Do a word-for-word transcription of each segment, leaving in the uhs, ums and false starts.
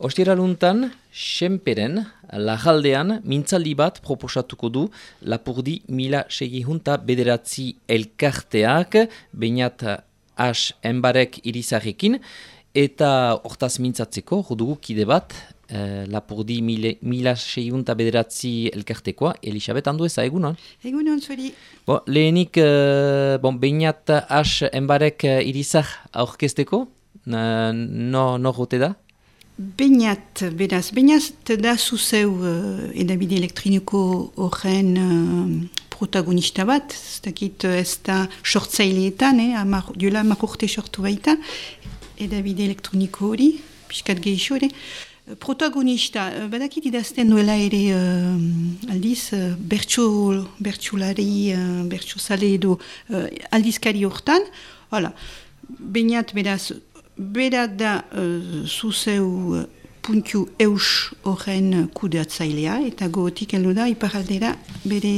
Ostiraluntan, Senperen, Lajaldean, mintzaldi bat proposatuko du Lapurdi mila segihunta bederatzi elkarteak, Beñat As enbarek irizarekin, eta hortaz mintzatzeko, jodugu kide bat, eh, Lapurdi mile, mila segihunta bederatzi elkartekoa, Elisabet Andueza, egunon? Egunon, zuri. Bo, lehenik, eh, bon, Beñat As enbarek irizar aurkezteko, no, no rote da? Beñat, beraz, Beñat da zuzeu uh, edabide elektroniko horren uh, protagonista bat, ez dakit ez da sortzaileetan, eh, amar, duela hamar urte sortu baita, edabide elektroniko hori, pixkat gehixo ere. Protagonista, uh, badakit idazten duela ere uh, aldiz, uh, bertso, bertsolari, uh, bertsozale edo uh, aldizkari hortan, hala, Beñat beraz, bera da uh, zuzeu uh, puntu eus horren kudeatzailea, eta gogotik heldu da iparaldera bere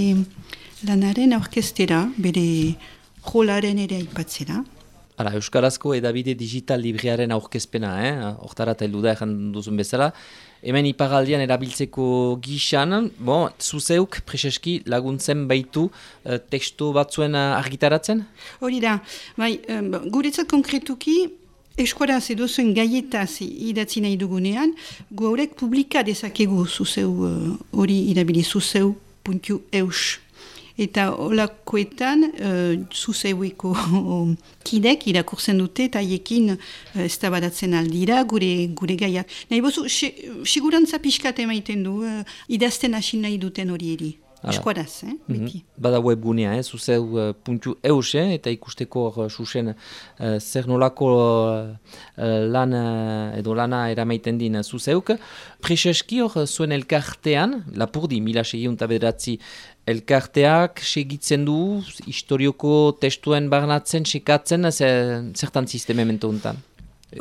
lanaren aurkeztera, bere rolaren ere aipatzera. Hala, Euskarazko edabide digital libriaren aurkezpena, eh? Hortarat heldu da ejan duzun bezala. Hemen iparaldian erabiltzeko gixan, bon, zuzeuk preseski laguntzen baitu uh, tekstu batzuen uh, argitaratzen? Hori da, bai, um, guretzat konkretuki, eskuaraz edo zuen gaietaz idatzi nahi dugunean, gu haurek publika dezakegu zuzeu hori uh, irabili zuzeu puntu eus. Eta olakoetan uh, zuzeueko kidek irakurtzen dute eta haiekin uh, eztabadatzen aldira gure, gure gaiak. Nahi bozu, sigurantza pixkat emaiten du, uh, idazten hasi nahi duten hori eri. Eskuaraz, eh, beti. Mm-hmm. Bada webgunea, eh, zuzeu uh, puntu eus, eh, eta ikusteko uh, susen uh, zer nolako uh, lan uh, edo lana eramaiten din uh, zuzeuk. Preseski hor zuen elkartean, Lapurdi mila segihunta bederatzi elkarteak segitzen du, historioko testuen barnatzen, sekatzen, zertan sisteme mentu untan?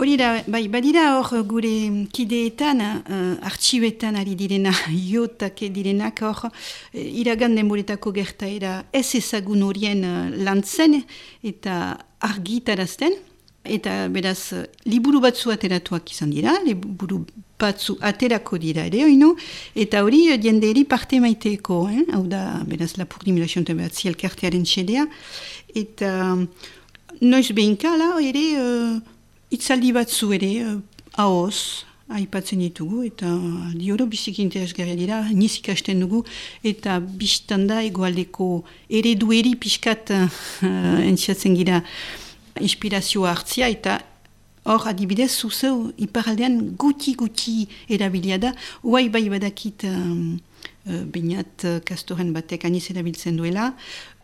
Hori da, bai, badira hor gure kideetan, uh, artxibetan ari direna, iotak direnak hor, uh, iragan denboretako gertaera ez ezagun horien uh, lantzen eta argitarazten. Eta beraz, uh, liburu batzu ateratuak izan dira, liburu batzu aterako dira ere, oino, eta hori uh, jenderi parte maiteeko, eh? Hau da, beraz, Lapurdi mila segihunta bederatzi elkartearen xedea, eta um, noiz behinka, la, ere, uh, itzaldi batzu ere, uh, ahoz, aipatzen ditugu, eta dioro biziki interesgarria dira, niz ikasten dugu, eta biztanda egoaldeko eredueri pixkat uh, entziatzen gira inspirazioa hartzia, eta hor adibidez zuzeu iparaldean guti-guti erabilia da, uai bai badakit um, uh, Beñat kastoren batek aniz erabiltzen duela,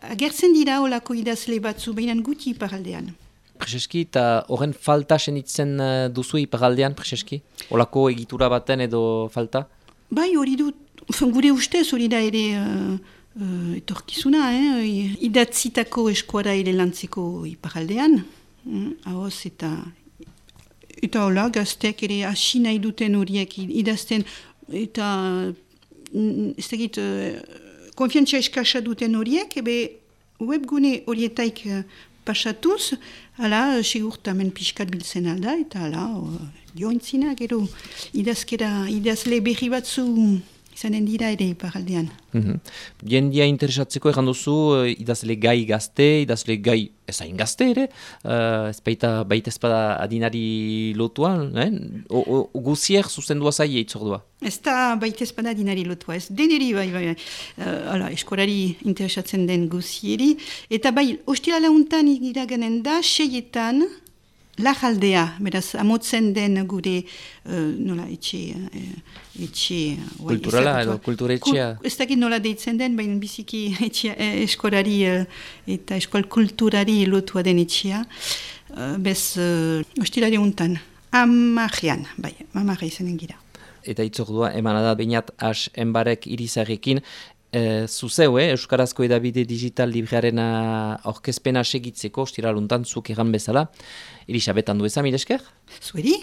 agertzen dira olako idazle batzu behinan guti iparaldean. Preseski, eta horren falta senitzen duzu iparaldean, Preseski? Olako egitura baten edo falta? Bai, hori du, gure ustez hori da ere uh, uh, etorkizuna, eh? Idatzitako eskuara ere lantzeko iparaldean, mm, ahoz eta eta hola, gaztek ere hasi nahi duten horiek idazten, eta ez dakit, uh, konfiantzia eskasa duten horiek, ebe webgune horietaik uh, pasatuz, hala, sigurtamen pixkat biltzen alda, eta hala, jointzina, gero, idazkera, idazle berri batzu izanen dira ere iparaldean. Mm-hmm. Jendia interesatzeko egan duzu, idazle gai gazte, idazle gai ezain gazte ere, uh, ez baita, baita ezpada adinari lotua, eh? o, o, guzier zuzendua zai eitzordua? Ez da baita ezpada adinari lotua, ez deneri bai, bai, bai. Uh, ala, eskolari interesatzen den guzieri, eta bai, ostilala untan iraganen da, seietan, Lajaldea, beraz, amotzen den gure, uh, nola, etxe, uh, etxe... Uh, Kulturala edo kulturetxea? Kul, ez dakit nola deitzen den, baina biziki etxea, eh, eskolari uh, eta eskol kulturari lotua den etxea. Uh, bez, uh, ostilare untan, amarrean, bai, amarre izanen gira. Eta itzordua, emanada Beñat As enbarek irizarekin, E, zuzeu, eh, Euskarazko edabide digital libriaren aurkezpena segitzeko, ostiraluntan zuk egan bezala, Elisabet Andueza, mil esker? Zueri?